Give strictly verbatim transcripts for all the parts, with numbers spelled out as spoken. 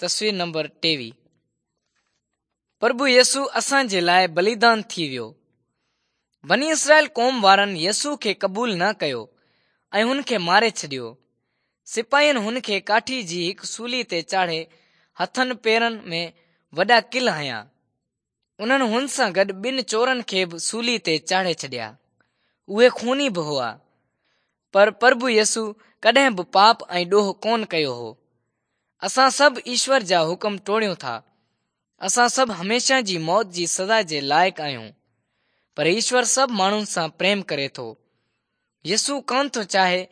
تصوير نمبر ٽيويهه. پرڀو يسوع اسان جي لاءِ بليدان ٿي ويو. بني اسرائيل قوم وارن يسوع کي قبول نه ڪيو ۽ هن کي ماري ڇڏيو. سپاهين هن کي ڪاٺي جي هڪ سولي تي چاڙهي هٿن پيرن ۾ وڏا ڪل هنيا. انهن هن سان گڏ ٻن چورن کي به سولي تي چاڙهي ڇڏيا. اهي خوني به هئا. پر پرڀو يسوع ڪڏهن به پاپ ۽ ڏوهه ڪونه ڪيو هو. اسان سڀ ايشور جا حڪم ٽوڙيون ٿا. اسان سڀ هميشه جي موت جي سزا جي لائق آهيون. پر ايشور سڀ ماڻهن سان پريم ڪري ٿو. يسوع ڪونه ٿو چاهي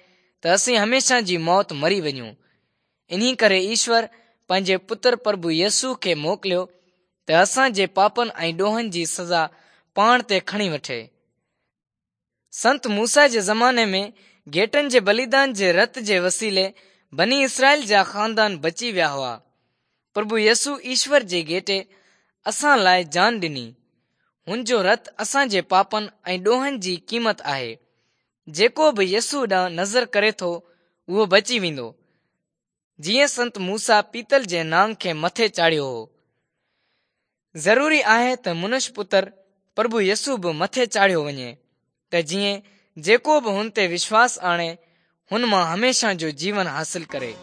ته اسين هميشه جي موت مري وڃون. انهي ڪري ايشور پنهنجي پتر پرڀو يسوع کي موڪليو ته اسان جي پاپن ۽ ڏوهن جي سزا پاڻ تي کڻي وٺي. سنت موسيٰ جي زماني ۾ گهيٽن جي بليدان جي رت جي وسيلي بني اسرائيل جا خاندان بچي ويا هئا. پرڀو يسوع ايشور جي گهيٽي اسان لاءِ جان ڏني. هن جو رت اسان جي پاپن ۽ ڏوهن جي قيمت آهي. جيڪو به يسوع ڏانهن نظر ڪري ٿو اهو بچي ويندو. جيئن سنت موسيٰ پيتل جي نانگ کي مٿي چاڙهيو هو. ضروري آهي ته منش پتر پرڀو يسوع به مٿي چاڙهيو وڃي ته جيئن جيڪو به هن تي وشواس آڻي هن مان هميشه جو جيون حاصل ڪري.